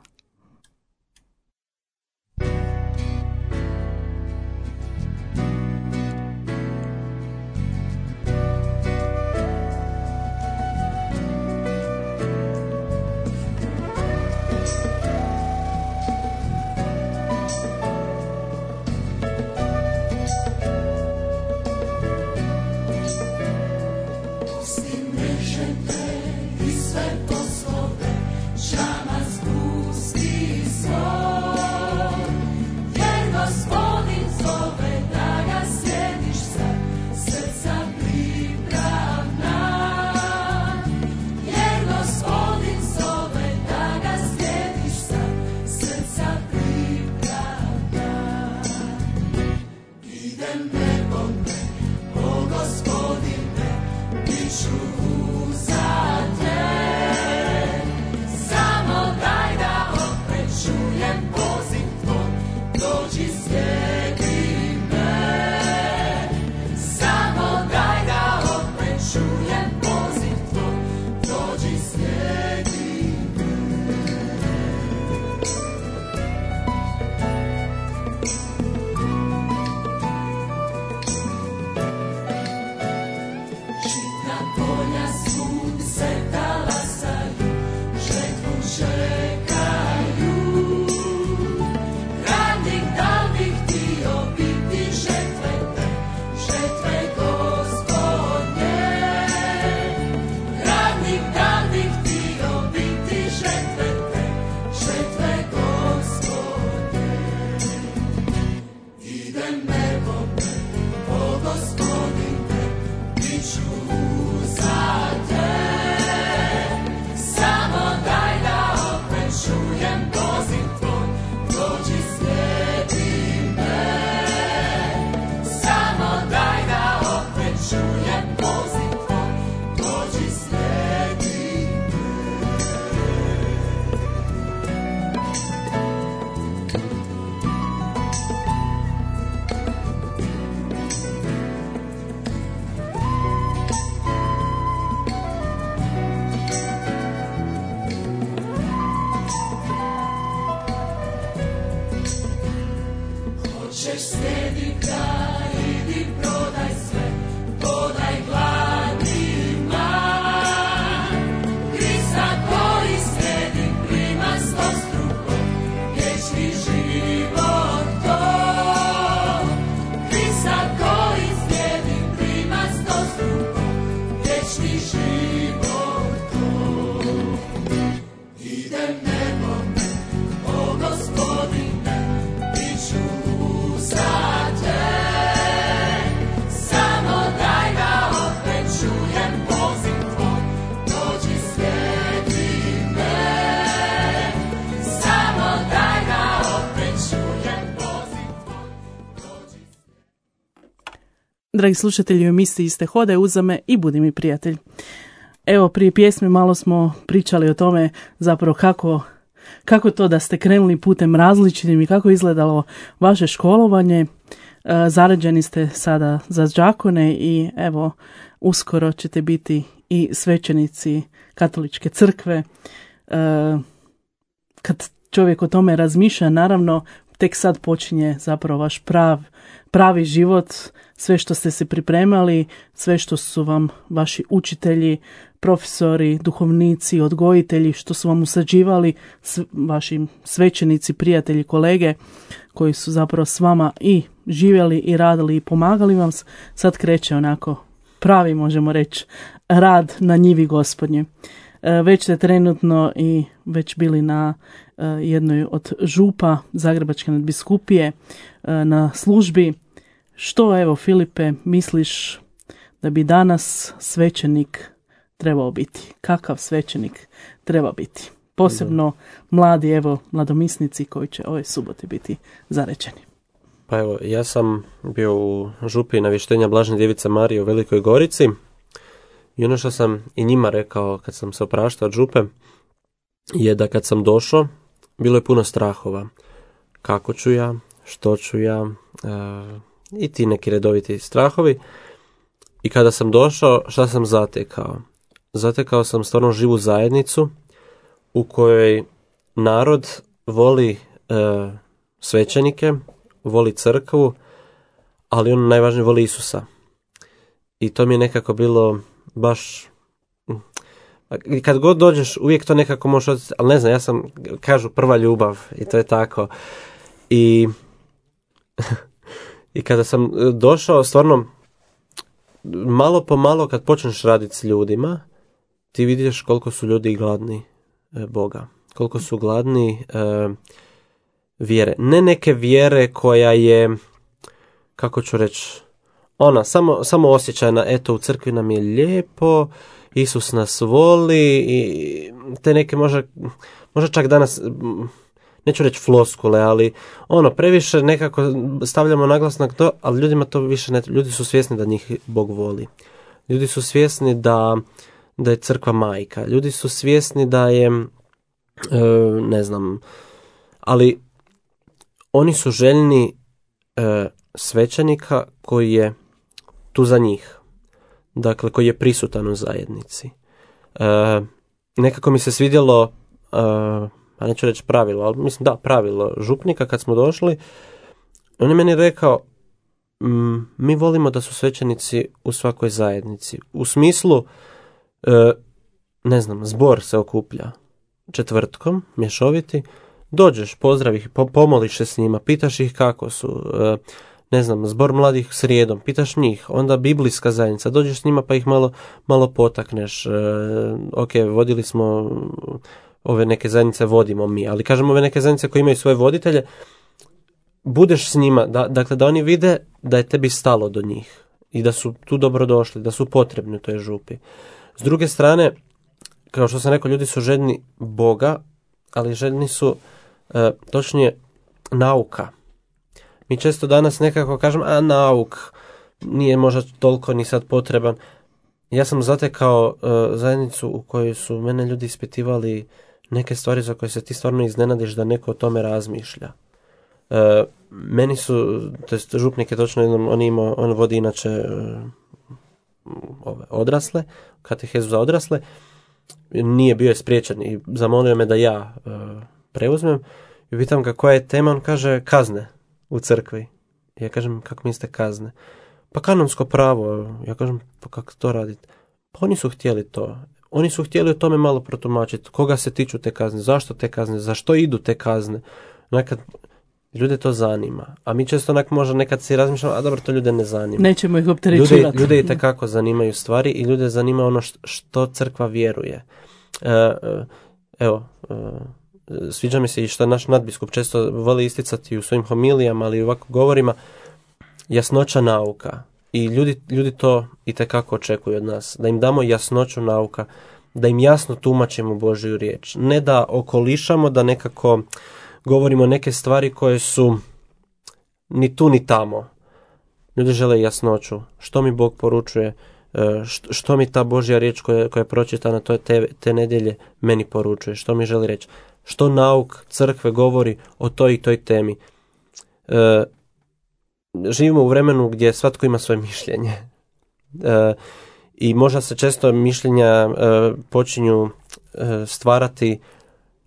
I sve poslove, čama zbuz Dragi slušatelji, u emisiji ste Hodaj uza me i budi mi prijatelj. Evo, prije pjesme malo smo pričali o tome zapravo kako to da ste krenuli putem različitim i kako je izgledalo vaše školovanje. Zarađeni ste sada za đakone i evo, uskoro ćete biti i svećenici Katoličke crkve. Kad čovjek o tome razmišlja, naravno, tek sad počinje zapravo vaš pravi život, sve što ste se pripremali, sve što su vam vaši učitelji, profesori, duhovnici, odgojitelji, što su vam usađivali, vaši svećenici, prijatelji, kolege, koji su zapravo s vama i živjeli i radili i pomagali vam, sad kreće onako pravi, možemo reći, rad na njivi Gospodnje. Već ste trenutno i već bili na jednoj od župa Zagrebačke nadbiskupije na službi. Što, evo, Filipe, misliš da bi danas svećenik trebao biti? Kakav svećenik treba biti? Posebno mladi, evo, mladomisnici koji će ove subote biti zarečeni. Pa evo, ja sam bio u župi navještenja Blažene Djevice Marije u Velikoj Gorici i ono što sam i njima rekao kad sam se opraštao od župe je da kad sam došao bilo je puno strahova. Kako ću ja, što ću ja, i ti neki redoviti strahovi. I kada sam došao, šta sam zatekao? Zatekao sam stvarno živu zajednicu u kojoj narod voli svećenike, voli crkvu, ali on najvažnije voli Isusa. I to mi je nekako bilo baš... Kad god dođeš, uvijek to nekako možeš odjeti, ali ne znam, ja sam, kažu, prva ljubav i to je tako. I kada sam došao, stvarno, malo po malo kad počneš raditi s ljudima, ti vidiš koliko su ljudi gladni Boga. Koliko su gladni vjere. Ne neke vjere koja je, kako ću reći, samo osjećajna, eto, u crkvi nam je lijepo, Isus nas voli i te neke možda čak danas neću reći floskule, ali previše nekako stavljamo naglasnak to, ali ljudima to više ne, ljudi su svjesni da njih Bog voli. Ljudi su svjesni da je crkva majka. Ljudi su svjesni da je, ne znam, ali oni su željni svećenika koji je tu za njih. Dakle, koji je prisutan u zajednici. Nekako mi se svidjelo, a neću reći pravilo, ali mislim da, pravilo župnika kad smo došli, on je meni rekao, mi volimo da su svećenici u svakoj zajednici. U smislu, ne znam, zbor se okuplja četvrtkom, mješoviti, dođeš, pozdravi ih, pomoliš se s njima, pitaš ih kako su, ne znam, zbor mladih srijedom, pitaš njih, onda biblijska zajednica, dođeš s njima pa ih malo potakneš, ok, vodili smo, ove neke zajednice vodimo mi, ali kažem ove neke zajednice koje imaju svoje voditelje, budeš s njima, dakle da oni vide da je tebi stalo do njih i da su tu dobrodošli, da su potrebni u toj župi. S druge strane, kao što sam rekao, ljudi su željni Boga, ali željni su točnije nauka. Mi često danas nekako kažemo, nauk nije možda toliko ni sad potreban. Ja sam zatekao zajednicu u kojoj su mene ljudi ispitivali neke stvari za koje se ti stvarno iznenadiš da neko o tome razmišlja. Meni su, to jest župnik je točno, on vodi inače odrasle, katehezu za odrasle, nije bio spriječen i zamolio me da ja preuzmem i pitam ga koja je tema, on kaže kazne u crkvi. Ja kažem, kako mislite kazne? Pa kanonsko pravo. Ja kažem, pa kako to radite? Pa oni su htjeli to. Oni su htjeli o tome malo protumačiti. Koga se tiču te kazne? Zašto te kazne? Zašto idu te kazne? Nekad ljude to zanima. A mi često možda nekad si razmišljamo, a dobro, to ljude ne zanima. Nećemo ih opterećivati. Ljude i tekako zanimaju stvari i ljude zanima ono što crkva vjeruje. Sviđa mi se i što naš nadbiskup često voli isticati u svojim homilijama, ali i ovako govorima, jasnoća nauka. I ljudi to itekako očekuju od nas. Da im damo jasnoću nauka, da im jasno tumačimo Božju riječ. Ne da okolišamo, da nekako govorimo neke stvari koje su ni tu ni tamo. Ljudi žele jasnoću. Što mi Bog poručuje, što mi ta Božja riječ koja je pročitana te nedjelje meni poručuje, što mi želi reći. Što nauk crkve govori o toj i toj temi. Živimo u vremenu gdje svatko ima svoje mišljenje. I možda se često mišljenja počinju stvarati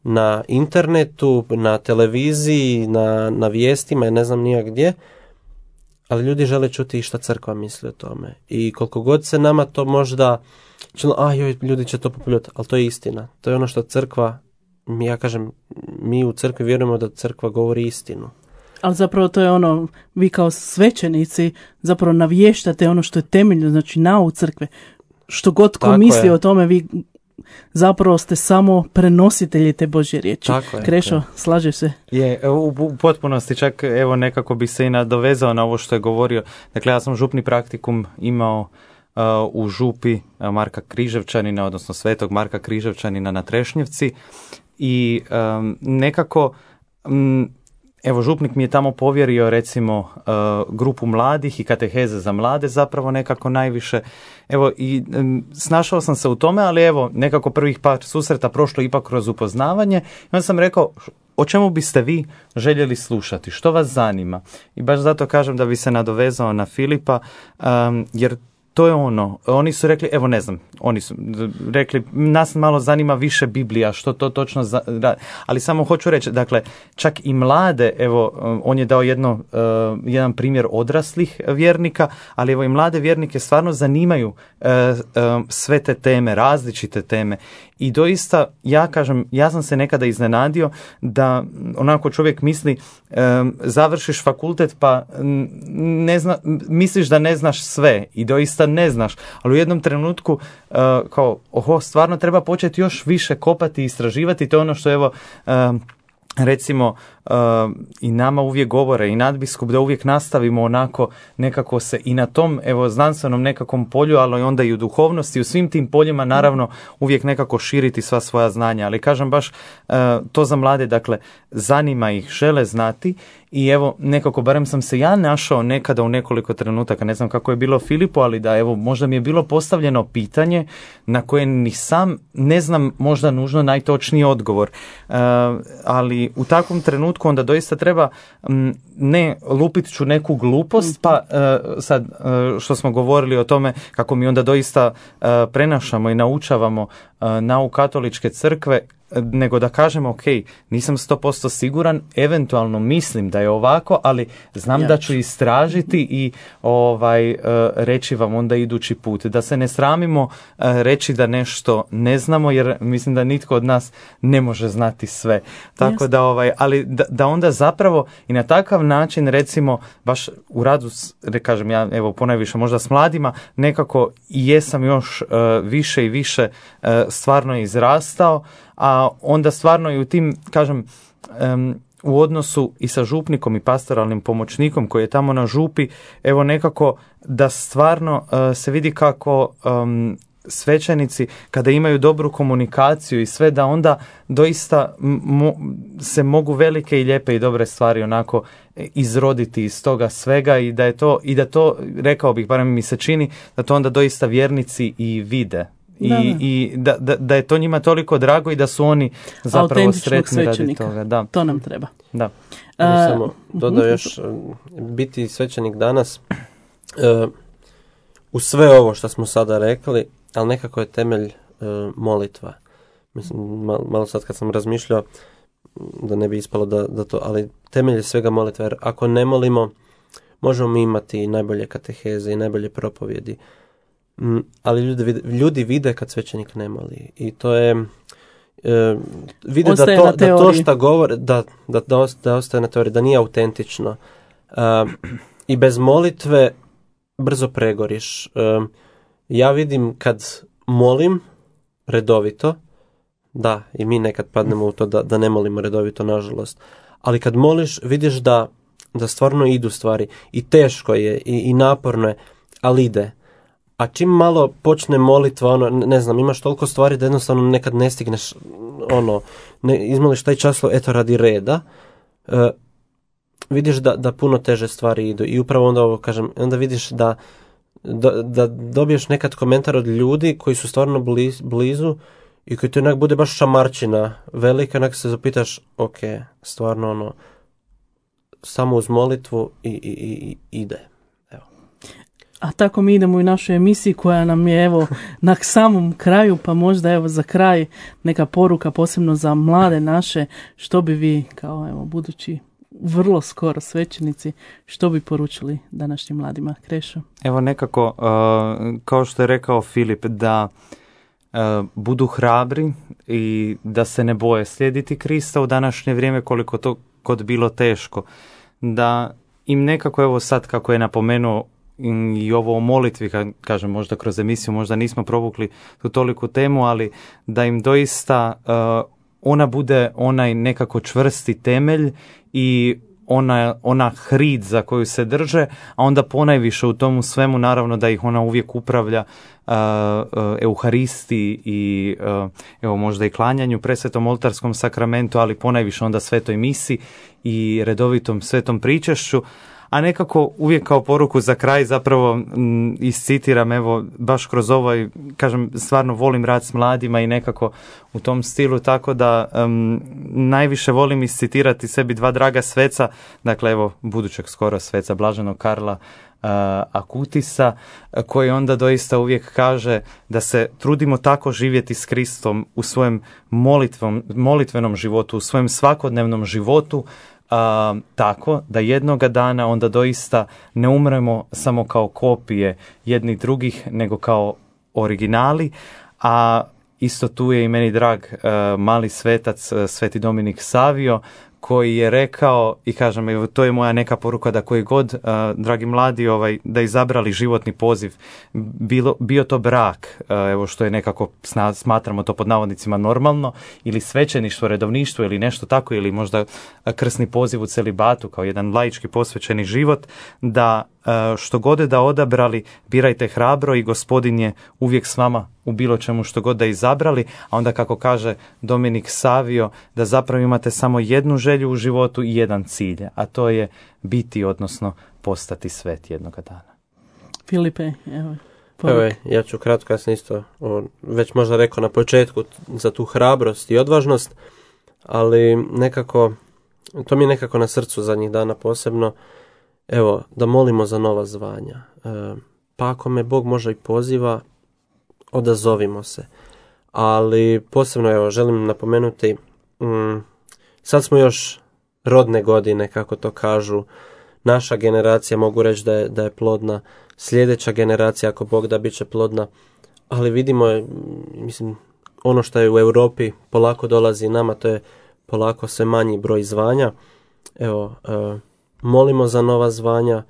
na internetu, na televiziji, na vijestima i ne znam nijak gdje, ali ljudi žele čuti i šta crkva misli o tome. I koliko god se nama to možda ljudi će to populjati, ali to je istina. To je ono što crkva, mi u crkvi vjerujemo da crkva govori istinu. Ali zapravo to je vi kao svećenici zapravo navještate ono što je temeljno, znači nauk crkve. Što god ko misli o tome, vi zapravo ste samo prenositelji te Božje riječi. Krešo, slažeš se? Je, u potpunosti, čak evo nekako bi se i nadovezao na ovo što je govorio. Dakle, ja sam župni praktikum imao u župi Marka Križevčanina, odnosno Svetog Marka Križevčanina na Trešnjevci i nekako evo župnik mi je tamo povjerio recimo grupu mladih i kateheze za mlade zapravo nekako najviše. Evo i snašao sam se u tome, ali evo nekako prvih par susreta prošlo ipak kroz upoznavanje i onda sam rekao o čemu biste vi željeli slušati, što vas zanima. I baš zato kažem da bi se nadovezao na Filipa, jer to je oni su rekli, evo ne znam, oni su rekli, nas malo zanima više Biblija, što to točno, ali samo hoću reći, dakle, čak i mlade, evo, on je dao jedan primjer odraslih vjernika, ali evo i mlade vjernike stvarno zanimaju sve te teme, različite teme. I doista, ja sam se nekada iznenadio da onako čovjek misli, završiš fakultet pa misliš da ne znaš sve i doista ne znaš, ali u jednom trenutku stvarno treba početi još više kopati i istraživati, to je ono što evo recimo i nama uvijek govore i nadbiskup da uvijek nastavimo onako nekako se i na tom evo znanstvenom nekakvom polju, ali onda i u duhovnosti, u svim tim poljima naravno uvijek nekako širiti sva svoja znanja, ali kažem baš to za mlade, dakle zanima ih, žele znati i evo nekako barem sam se ja našao nekada u nekoliko trenutaka, ne znam kako je bilo Filipu, ali da evo možda mi je bilo postavljeno pitanje na koje ni sam ne znam možda nužno najtočniji odgovor, ali u takvom trenutku onda doista treba ne lupit ću neku glupost, pa sad što smo govorili o tome kako mi onda doista prenašamo i naučavamo nauk katoličke crkve, nego da kažemo ok, nisam 100% siguran, eventualno mislim da je ovako, ali znam da ću istražiti i reći vam onda idući put. Da se ne sramimo reći da nešto ne znamo, jer mislim da nitko od nas ne može znati sve. Tako da ali da onda zapravo i na takav način recimo baš u radu, kažem ja evo ponajviše možda s mladima, nekako i jesam još više i više stvarno izrastao, a onda stvarno i u tim, kažem, u odnosu i sa župnikom i pastoralnim pomoćnikom koji je tamo na župi, evo nekako da stvarno se vidi kako svećenici kada imaju dobru komunikaciju i sve, da onda doista se mogu velike i lijepe i dobre stvari onako izroditi iz toga svega i da to rekao bih, barem mi se čini, da to onda doista vjernici i vide. I da je to njima toliko drago i da su oni zapravo sretni radi toga. Da. To nam treba. Da. Samo dodao još, biti svećenik danas, u sve ovo što smo sada rekli, ali nekako je temelj molitva. Mislim, malo sad kad sam razmišljao, da ne bi ispalo da to, ali temelj je svega molitva, jer ako ne molimo, možemo mi imati najbolje kateheze i najbolje propovjedi, ali ljudi vide kad svećenik ne moli i to je vide da to što govore da ostaje na teoriji, da nije autentično i bez molitve brzo pregoriš. Ja vidim kad molim redovito, da i mi nekad padnemo u to da ne molimo redovito, nažalost, ali kad moliš vidiš da stvarno idu stvari i teško je i naporno je, ali ide. A čim malo počne molitva, ne znam, imaš toliko stvari da jednostavno nekad ne stigneš, izmoliš taj čas, eto radi reda, vidiš da puno teže stvari idu. I upravo onda ovo kažem, onda vidiš da dobiješ nekad komentar od ljudi koji su stvarno blizu i koji ti onak bude baš šamarčina velika, onak se zapitaš, ok, stvarno samo uz molitvu i ide. A tako mi idemo u našoj emisiji koja nam je evo na samom kraju, pa možda evo za kraj neka poruka posebno za mlade naše, što bi vi kao evo budući vrlo skoro svećenici, što bi poručili današnjim mladima? Krešo? Evo nekako, kao što je rekao Filip, da budu hrabri i da se ne boje slijediti Krista u današnje vrijeme, koliko to god bilo teško. Da im nekako, evo sad kako je napomenuo i ovo o molitvi, kažem možda kroz emisiju, možda nismo provukli tu toliku temu, ali da im doista ona bude onaj nekako čvrsti temelj i ona hrid za koju se drže, a onda ponajviše u tomu svemu naravno da ih ona uvijek upravlja Euharisti i evo možda i klanjanju, presvetom oltarskom sakramentu, ali ponajviše onda svetoj misi i redovitom svetom pričešću. A nekako uvijek kao poruku za kraj zapravo iscitiram, evo baš kroz ovaj, kažem, stvarno volim rad s mladima i nekako u tom stilu, tako da najviše volim iscitirati sebi dva draga sveca, dakle evo budućeg skoro sveca Blaženog Karla Akutisa, koji onda doista uvijek kaže da se trudimo tako živjeti s Kristom u svojem molitvenom životu, u svojem svakodnevnom životu, tako da jednoga dana onda doista ne umremo samo kao kopije jednih drugih, nego kao originali, a isto tu je i meni drag mali svetac, Sveti Dominik Savio, koji je rekao, i kažem, evo, to je moja neka poruka, da koji god, dragi mladi, da izabrali životni poziv, bio to brak, evo što je nekako, smatramo to pod navodnicima normalno, ili svećeništvo, redovništvo ili nešto tako, ili možda krsni poziv u celibatu kao jedan laički posvećeni život, da što god da odabrali, birajte hrabro i Gospodin je uvijek s vama u bilo čemu što god da izabrali, a onda kako kaže Dominik Savio, da zapravo imate samo jednu želju u životu i jedan cilj, a to je biti, odnosno postati svet jednoga dana. Filipe, evo, ja ću kratko, ja sam isto već možda rekao na početku za tu hrabrost i odvažnost, ali nekako, to mi je nekako na srcu zadnjih dana posebno, evo, da molimo za nova zvanja. Pa ako me Bog možda i poziva, odazovimo se. Ali posebno, evo, želim napomenuti, sad smo još rodne godine, kako to kažu, naša generacija, mogu reći da je plodna, sljedeća generacija, ako Bog da, bit će plodna, ali vidimo, mislim, ono što je u Europi polako dolazi nama, to je polako sve manji broj zvanja. Evo, molimo za nova zvanja,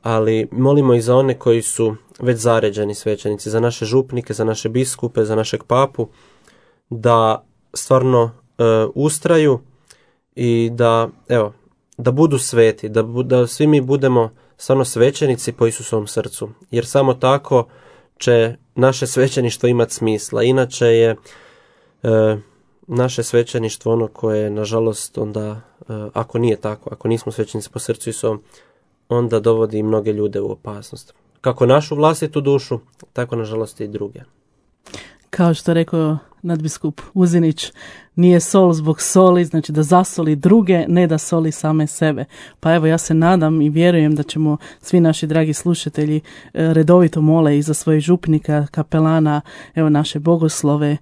ali molimo i za one koji su već zaređeni svećenici, za naše župnike, za naše biskupe, za našeg papu, da stvarno ustraju i da budu sveti, da svi mi budemo stvarno svećenici po Isusovom srcu, jer samo tako će naše svećeništvo imati smisla. Inače je naše svećeništvo ono koje, nažalost, onda, ako nije tako, ako nismo svećenici po srcu Isusovom, onda dovodi mnoge ljude u opasnost. Kako našu vlastitu dušu, tako nažalost i druge. Kao što rekao nadbiskup Uzinić, nije sol zbog soli, znači da zasoli druge, ne da soli same sebe. Pa evo, ja se nadam i vjerujem da ćemo svi naši dragi slušatelji redovito mole i za svojih župnika, kapelana, evo naše bogoslove,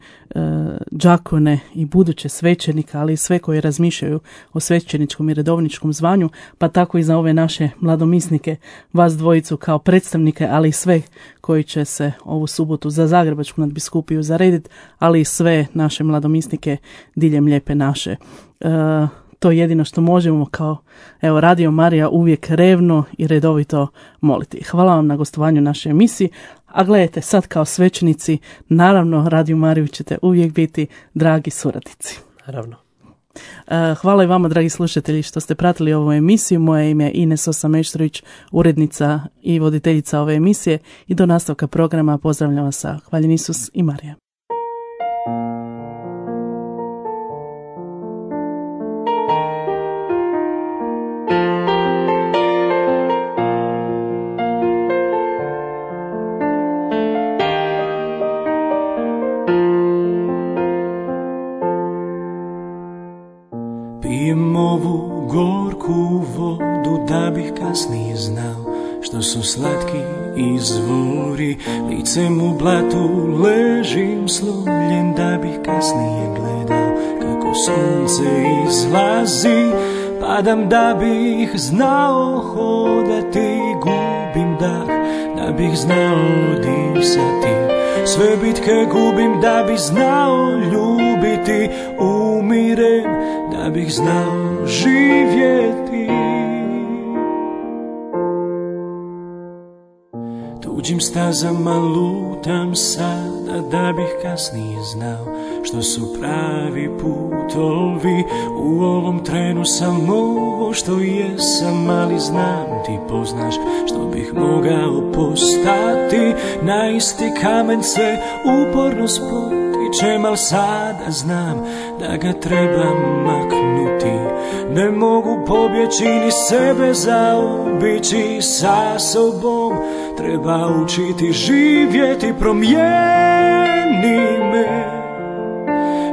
đakone i buduće svećenika, ali i sve koji razmišljaju o svećeničkom i redovničkom zvanju, pa tako i za ove naše mladomisnike, vas dvojicu kao predstavnike, ali i sve koji će se ovu subotu za Zagrebačku nadbiskupiju zarediti, ali i sve naše mladomisnike diljem lijepe naše. To je jedino što možemo kao Radio Marija uvijek revno i redovito moliti. Hvala vam na gostovanju našoj emisiji, a gledajte, sad kao svećenici, naravno Radio Mariju ćete uvijek biti dragi suradnici. Naravno. Hvala i vama, dragi slušatelji, što ste pratili ovu emisiju. Moje ime je Ines Osameštrović, urednica i voditeljica ove emisije, i do nastavka programa pozdravljam vas sa Hvaljen Isus i Marija. Pijem ovu gorku vodu da bih kasnije znao što su slatki izvori. Licem u blatu ležim slomljen da bih kasnije gledao kako sunce izlazi. Padam da bih znao hodati, gubim dah da bih znao disati. Sve bitke gubim da bih znao ljubiti, umirem da bih znao živjeti. Tuđim stazama lutam sada da bih kasnije znao što su pravi putovi. U ovom trenu sam ovo što jesam, ali znam ti poznaš što bih mogao postati. Na isti kamen se uporno spotičem, al sada znam da ga trebam maknuti. Ne mogu pobjeći ni sebe zaobići, sa sobom treba učiti živjeti. Promijeni me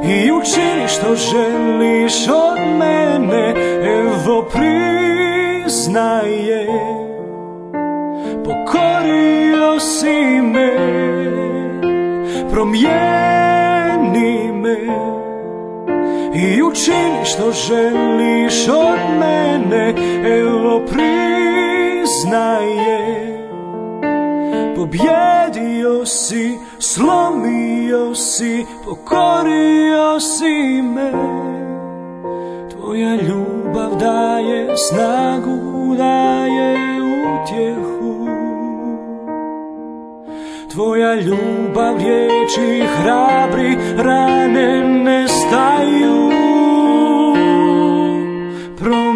i učini što želiš od mene. Evo priznaje, pokorio si me. Promijeni me i učini što želiš od mene. Evo priznaje, pobjedio si, slomio si, pokorio si me. Tvoja ljubav daje snagu, daje utjehu. Tvoja ljubav riječi hrabri, rane nestaju. Promijeni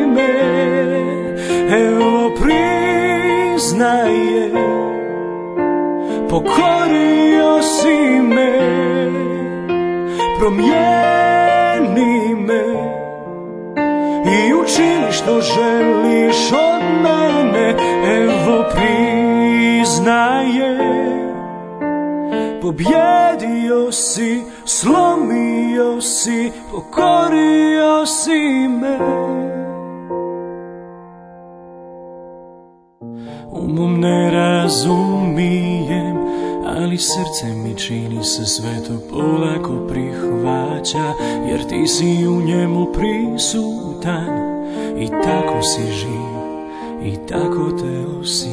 me, evo priznaje, pokorio si me. Promijeni me i učini što želiš od mene, evo priznaje. Pobjedio si, slomio si, pokorio si me. Umom ne razumijem, ali srce mi čini se sve to polako prihvaća, jer ti si u njemu prisutan i tako si živ i tako te osjećam.